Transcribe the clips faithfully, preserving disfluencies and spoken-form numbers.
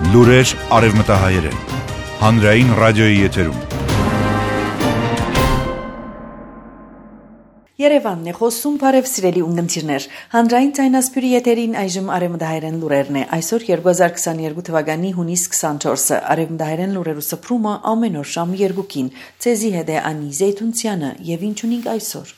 Լուրեր արևմտահայերեն, հանրային ռադիոյի եթերում։ Երևանն է խոսում, բարև սիրելի ունգընտիրներ, հանրային ձայնասպյուրի եթերին այժմ արևմտահայերեն լուրերն է, այսօր երկու հազար քսաներկու թվականի հունիս քսանչորսը, արևմտահայերեն լուրերու սփռումը ամեն օր շամ երկուքին, ցեզի հետ է Անի Զեյթունցյանը եւ ինչ ունենք այսօր։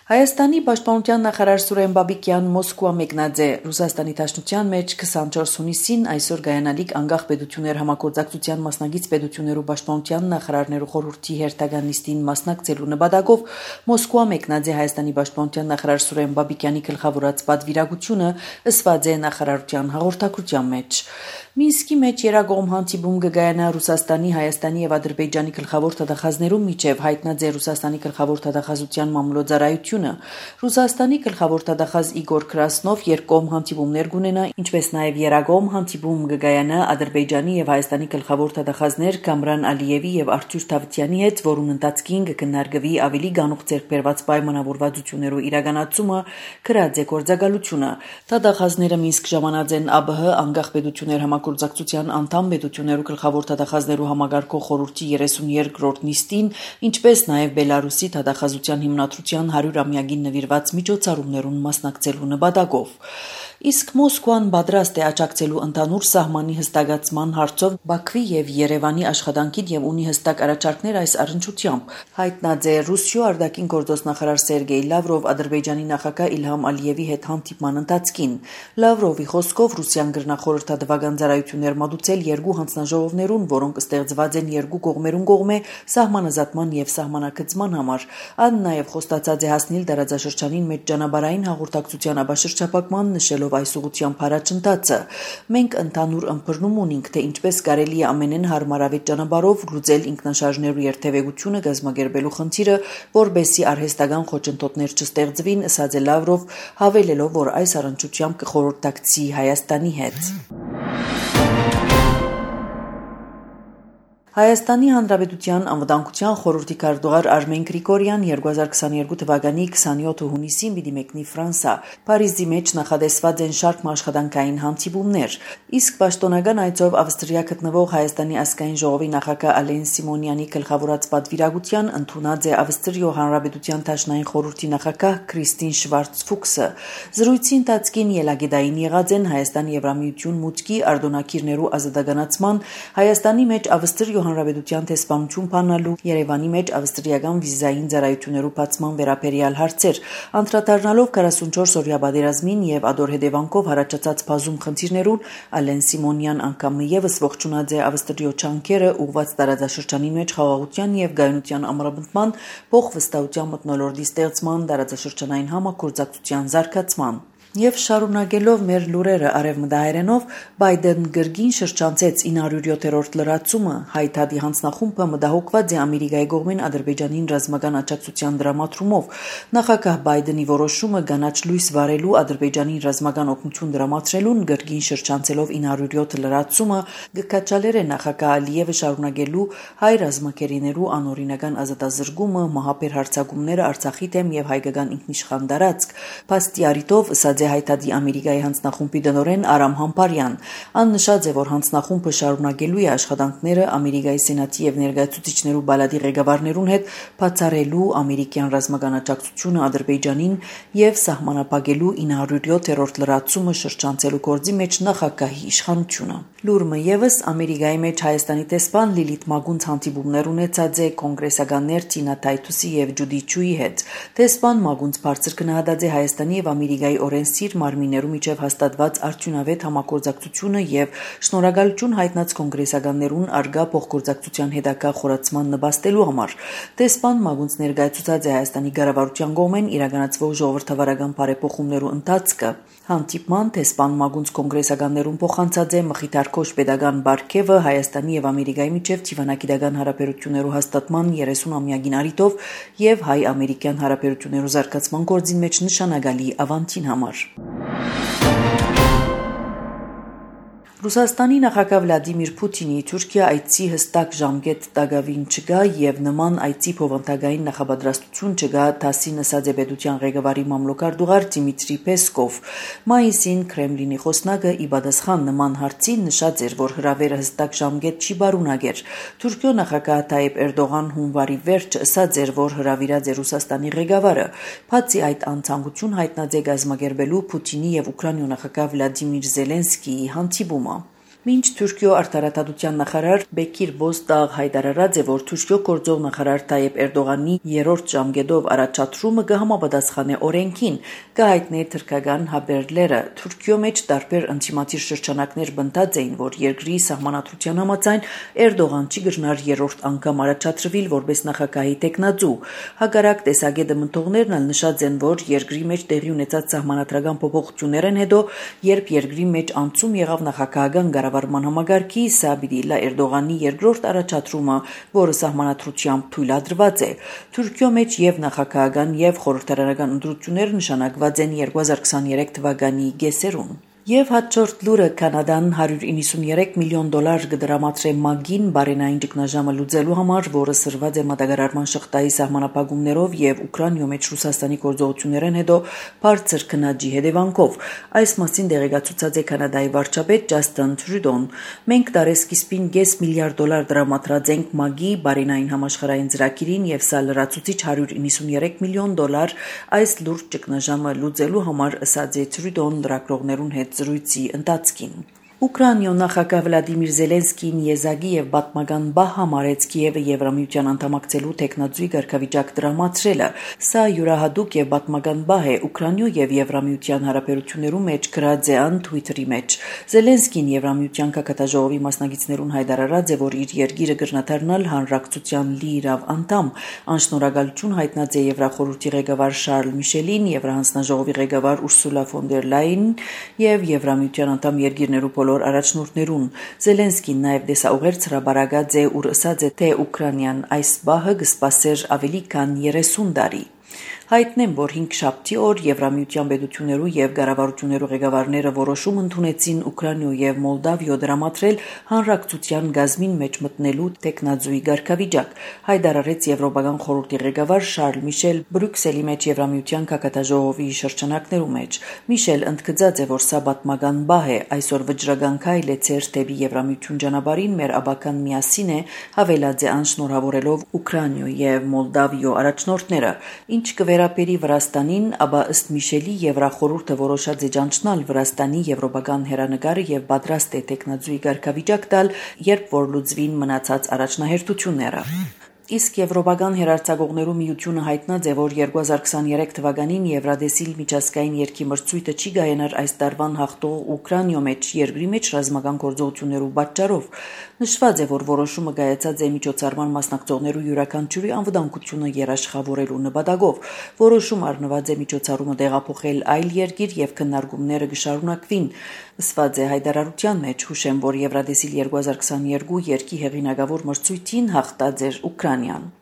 Հայաստանի պաշտպանության նախարար Սուրեն Բաբիկյան Մոսկվա մեկնած է Ռուսաստանի Դաշնության մեջ քսանչորս հունիսին այսօր գայանալիք անկախ պետություններ համագործակցության մասնագիծ պետություններու պաշտպանության նախարարներու խորհրդի հերթական նիստին մասնակցելու նպատակով Մոսկվա մեկնած է Հայաստանի պաշտպանության նախարար Սուրեն Բաբիկյանի գլխավորած պատվիրակությունը ըսված է նախարարության հաղորդակցության մեջ։ Մինսկի մեջ երագոմ հանդիպում կգայանա Ռուսաստանի, Հայաստանի եւ Ադրբեջանի գլխավոր թագախազներու միջև հայտնած է Ռուսաստանի գլխավոր թագախազության մամուլոձարայությունը։ Ռուսաստանի գլխավոր թագախազ Իգոր Կրասնով երկկողմ հանդիպումներ կունենա, ինչպես նաեւ երագոմ հանդիպում կգայանա Ադրբեջանի եւ Հայաստանի գլխավոր թագախազներ Կամրան Ալիևի եւ Արթուր Թավթյանի հետ, որուն ընթացքին կքննարկվի ավելի գանուխ ձեռքբերված պայմանավորվածություններու իրականացումը, քրած է գործակալությունը։ Թագախազները Մինսկ ժամանած են ԱԲՀ անկախ պետություններ համագործակցության անդամ պետություններու գլխավոր թագախազներու համագարկող խորհրդի երեսունյերկրորդ նիստին, ինչպես նաև Բելարուսի թագախազության հիմնադրության հարյուրամյակին նվիրված միջոցառումներուն մասնակցելու նպատակով։ Իսկ Մոսկվան պատրաստ է աջակցելու ընդհանուր սահմանի հստակացման հարցով Բաքվի եւ Երևանի աշխատանքին եւ ունի հստակ առաջարկներ այս առնչությամբ, հայտնած է Ռուսիո արտաքին գործոստ նախարար Սերգեյ Լավրով Ադրբեջանի նախագահ Իլհամ Ալիևի հետ հանդիպման ընթացքին։ Լավրովի խոսքով Ռուսիան գրնախորհրդատվական ծառայություններ մատուցել երկու հանձնաժողովներուն, որոնք ստեղծված են երկու կողմերուն կողմէ սահմանազատման եւ սահմանակցման համար։ Ան նաեւ խոստացած է հասնել դարաձաշրջանին մեջ ճանապարհային հաղորդակցության ապաշրջապակման, նշելով այս ուղղությամբ առաջընթացը։ Մենք ընդհանուր ըմբռնում ունենք, թե ինչպես կարելի է ամենեն հարմարավետ ճանապարհով լուծել ինքնաշարժներու երթևեկությունը գազմագերբելու խնդիրը, որբեսի արհեստական խոչընդոտներ չստեղծվին, ըսած է Լավրով, հավելելով, որ այս առնչությամբ կխորհրդակցի Հայաստանի հետ։ Հայաստանի Հանրապետության անվտանգության խորհրդի քարտուղար Արմեն Գրիգորյան երկու հազար քսաներկու թվականի քսանյոթ հունիսին պիտի մեկնի Ֆրանսա։ Փարիզի մեջ նախադեсված են շարք աշխատանքային հանդիպումներ, իսկ պաշտոնական այցով Ավստրիա գտնվող Հայաստանի ազգային ժողովի նախագահ Ալեն Սիմոնյանի գլխավորած պատվիրակության ընդունած է Ավստրիո Հանրապետության Դաշնային խորհրդի նախագահ Քրիստին Շվարց-Ֆուքսը։ Զրույցի ընթացքին ելագեդային եղած են Հայաստանի Եվրամիություն մուտքի արտոնակիրներու ազատականացման, Հայաստանի մեջ Ավստրիո Հանրապետության տեսփանություն բանալու, Երևանի մեջ ավստրիական վիզային ծառայություններու բացման վերաբերյալ հարցեր, անդրադառնալով քառասունչորս օրյա պատերազմին եւ ադոր հետևանքով հարաճած բազում խնդիրներուն, Ալեն Սիմոնյան անգամ եւս ողջունած է Ավստրիո չանքերը ուղղված տարածաշրջանի մեջ խաղաղության եւ գայունության ամրապնդման, փոխվստահության մթնոլորտի ստեղծման, տարածաշրջանային համագործակցության զարգացման։ Եվ շարունակելով մեր լուրերը արևմտահայերենով, Բայդեն գրգին շրջանցեց ինը հարյուր յոթերորդ լրացումը, հայտարարի հանձնախումբը մտահոգված է Ամերիկայի կողմեն Ադրբեջանին ռազմական աջակցության դրամատրումով։ Նախագահ Բայդենի որոշումը կանաչ լույս վարելու Ադրբեջանին ռազմական օգնություն դրամատրելուն գրգին շրջանցելով ինը հարյուր յոթ լրացումը գկաչալեր է նախագահ Ալիևը շարունակելու հայ ռազմակերիներու անօրինական ազատազրկումը, մահապեր հարձակումները Արցախի դեմ եւ հայկական ինքնիշխան տարածք, փաստի առիթով ըսած հայտարարի Ամերիկայի հանձնախումբի տնօրեն Արամ Համբարյան։ Ան նշած է, որ հանձնախումբը շարունակելու է աշխատանքները Ամերիկայի Սենատի եւ ներկայացուցիչներու բալադի ղեկավարներուն հետ բացառելու ամերիկյան ռազմական աջակցությունը Ադրբեջանին եւ սահմանափակելու ինը հարյուր յոթերորդ լրացումը շրջանցելու գործի մեջ նախագահի իշխանությունը։ Լուրը եւս Ամերիկայի մեջ Հայաստանի տեսփան Լիլիթ Մագունց հանդիպումներ ունեցած է կոնգրեսականներ Տինա Թայթուսի եւ Ջուդի Չուի հետ։ Տեսփան Մագունց բարձր գնահատած է Հայաստանի եւ Ամերիկայի օրենսիր մարմիններու միջև հաստատված արդյունավետ համագործակցությունը եւ շնորհակալություն հայտնած կոնգրեսականներուն արգա փոխգործակցության հետագա խորացման նպաստելու համար։ Տեսփան Մագունց ներկայացուցած է Հայաստանի կառավարության կողմեն իրականացվող ժողովրդավարական բարեփոխումներու ընթացքը։ Հանդիպման տեսփան Մագունց կոնգրեսականներուն փոխանցած է մխիթարքոշ pedagogan բարգեւը Հայաստանի եւ Ամերիկայի միջև դիվանագիտական հարաբերություններու հաստատման երեսուն-ամյակին առիթով եւ հայ-ամերիկյան հարաբերություններու զարգացման գործին մեջ նշանակալի ավանդին համար։ Ռուսաստանի նախագահ Վլադիմիր Պուտինի Թուրքիա այցի հստակ ժամկետ տակավին չկա եւ նման այցի փոխանցագային նախապատրաստություն չկա, ԹԱՍՍ-ի նսած է պետության ղեկավարի մամլոքարտուղար Դիմիտրի Պեսկով։ Մայիսին Կրեմլինի խոսնակը ի պատասխան նման հարցին նշած էր, որ հրավերը հստակ ժամկետ չի բարունակեր։ Թուրքիո նախագահ Թայիպ Էրդողան հունվարի վերջը ասաց էր, որ հրավիրած է Ռուսաստանի ղեկավարը։ Բացի այդ անցանկություն հայտնած է գազམ་ակերպելու Պուտինի եւ Ուկրաինայի նախագահ Վլադիմիր Զելենսկիի հանդիպումը։ Մինչ Թուրքիո արտարադատության նախարար Բեկիր Բոզդաղ հայտարարած է, որ Թուրքիո գործող նախարար Թայիպ Էրդողանի երրորդ ժամկետով առաջադրումը կհամապատասխանե օրենքին, կհայտնի թրքական հաբերլերը։ Թուրքիո մեջ տարբեր ինտիմատիր շրջանակներ բնտած էին, որ երկրի սահմանադրության համաձայն Էրդողան չի գժնար երրորդ անգամ առաջադրվել որպես նախագահի տեխնացու։ Հակառակ տեսակետը մտողներն ալ նշած են, որ երկրի մեջ տեղի ունեցած սահմանադրական փոփոխություններն հետո, երբ երկրի մեջ անցում եղավ նախագահական կառավարման համագարկի, սա պիտի լա Էրդողանի երկրորդ առաջադրումը, որը սահմանադրությամբ թույլատրված է։ Թուրքիո մեջ եւ նախագահական եւ խորհրդարանական ընտրություններ նշանակված են երկու հազար քսաներեք թվականի կեսերուն։ Եվ հաջորդ լուրը Կանադան հարյուր իննսուններեք միլիոն դոլար կդրամատրե ՄԱԳ-ին բարենային ճգնաժամը լուծելու համար, որը սրված է մատակարարման շղթայի սահմանափակումներով եւ Ուկրաինայի մեջ Ռուսաստանի գործողություններն հետո բարձր քննաջի հետևանքով։ Այս մասին տեղեկացուցած է Կանադայի վարչապետ Ջասթին Տրյուդոն։ Մենք տարեսկիզբին կես միլիարդ դոլար դրամատրած ենք ՄԱԳ-ի բարենային համաշխարհային ծրագիրին եւ սա լրացուցիչ հարյուր իննսուններեք միլիոն դոլար այս լուրջ ճգնաժամը լուծելու համար, ասաց է Տրյուդոն լրագրողներուն հետ զրույցի ընթացքին։ Ուկրաինայ նախագահ Վլադիմիր Զելենսկին եզակի եւ պատմական բահ համարեց Կիևը Եվրամիության անդամակցելու տեխնացուի ղեկավարիչակ դրամատրելը։ Սա յուրահատուկ եւ պատմական բահ է Ուկրաինայ եւ Եվրամիության հարաբերություններու մեջ գրած է ան Twitter-ի մեջ։ Զելենսկին Եվրամիության կակատաժողովի մասնակիցներուն հայտարարած է, որ իր երկիրը կրնաթարնալ հանրակցության լիիրավ անդամ։ Անշնորհակալություն հայտնած է Եվրախորհրդի ղեկավար Շարլ Միշելին, Եվրահանձնաժողովի ղեկավար Ուրսուլա ֆոն դեր Լայեն եւ Եվրամիության անդամ երկիրներու առաջնորդներուն։ Զելենսկին նաև դեսաուղերձ հրաբարակած է ու ասաց է, թե Ուկրաինան այս բահը կսպասեր ավելի քան երեսուն տարի։ Հայտնեմ, որ հինգշաբթի օր Եվրամիության պետություններու եւ կառավարություններու ղեկավարները որոշում ընդունեցին Ուկրաինայ եւ Մոլդավիո դրամատրել հանրակցության գազմին մեջ մտնելու տեխնացուի ղեկավարիչակ, հայտարարեց Եվրոպական խորհրդի ղեկավար Շարլ Միշել Բրյուսելի մեջ Եվրամիության կակատաժողովի շրջանակներու մեջ։ Միշել ընդգծած է, որ սա պատմական բահ է, այսօր վճռական քայլ է ցեր դեպի Եվրամիություն ճանապարհին մեր աբական միասին է, հավելած է անշնորհավորելով Ուկրաինայ եւ Մոլդավիո առաջնորդները։ Ինչ կվերապերի Վրաստանին, ապա ըստ Միշելի Եվրախորհուրդը որոշած է ճանչնալ Վրաստանի եվրոպական հերանեկարը եւ պատրաստ է տեխնացուի ղեկավարիչակ տալ, երբ որ լուծվին մնացած առաջնահերթությունները։ Իսկ Եվրոպական հերարցակողներու միությունը հայտնած է, որ երկու հազար քսաներեք թվականին Եվրադեսիլ միջազգային երկի մրցույթը չի գայանար այս տարվան հաղթող Ուկրաինայ մեջ երկրի մեջ ռազմական գործողություններու պատճառով։ Նշված է, որ որոշումը կայացած է միջոցառման մասնակցողներու յուրաքանչյուրի անվտանգությունը երաշխավորելու նպատակով։ Որոշում առնված է միջոցառումը տեղափոխել այլ երկիր եւ քննարկումները կշարունակվին։ Ասված է հայտարարության մեջ, հուշեմ, որ Եվրադեսիլ երկու հազար քսաներկու երկի հեղինակավոր մրցույթին հաղթած էր Ուկրաինան։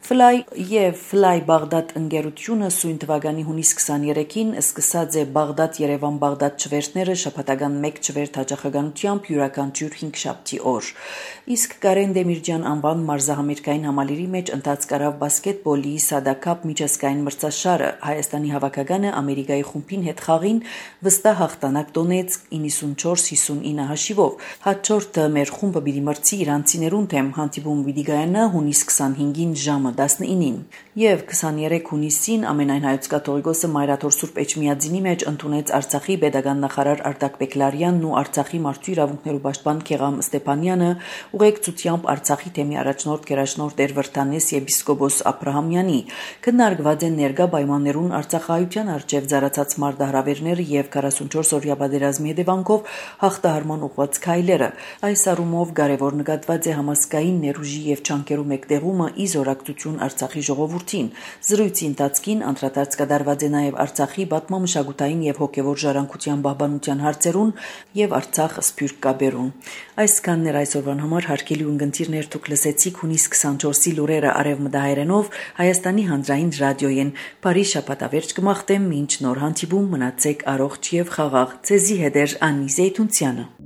Fly եւ Fly Բաղդադ ընկերությունը սույն թվականի հունիս քսաներեքին սկսած է Բաղդադ-Երևան-Բաղդադ չվերթները շաբաթական մեկ չվերթ հաճախականությամբ յուրաքանչյուր հինգշաբթի օր։ Իսկ Կարեն Դեմիրճյան անվան մարզահամերգային համալիրի մեջ ընթաց կարավ բասկետբոլի Սադակապ միջազգային մրցաշարը Հայաստանի հավաքականը Ամերիկայի խումբին հետ խաղին վստահ հաղթանակ տոնեց իննսունչորս հիսունինը հաշիվով։ Հաջորդը մեր խումբը պիտի մրցի իրանցիներուն թեմ հանդիպումը պիտի գայանա հունիս քսանհինգին ժամը տասնինին եւ քսաներեք հունիսին ամենայն հայոց կաթողիկոսը Մայրաթոր Սուրբ Էջմիածինի մեջ ընդունեց Արցախի պետական նախարար Արտակ Բեկլարյանն ու Արցախի մարդու իրավունքներու պաշտպան Քեղամ Ստեփանյանը ուղեկցությամբ Արցախի թեմի առաջնորդ գերաշնորհ Տեր Վրթանես եպիսկոպոս Աբրահամյանի քննարկված են ներկա պայմաններուն Արցախահայության արչեւ զարացած մարտահրավերները եւ քառասունչորս օրյա պատերազմի հետևանքով հաղթահարման ուղղված քայլերը։ Այս առումով կարևոր նկատված է համասկային ներուժի եւ չանկերու մեկտեղումը ի զորակցություն Արցախի ժողովրդին։ Զրույցի ընթացքին անդրադարձ կատարված է նաև Արցախի պատմամշակութային եւ հոգեվոր ժառանգության պահպանության հարցերուն եւ Արցախ սփյուռք կապերուն։ Այսքանն էր այսօրվան համար հարգելի ունկնդիրներ, դուք լսեցիք հունիս քսանչորսի լուրերը արևմտահայերենով Հայաստանի հանրային ռադիոյեն։ Բարի շաբաթավերջ կմաղթեմ, մինչ նոր հանդիպում մնացեք առողջ եւ խաղաղ։ Ձեզի հետ է Անի Զեյթունցյանը։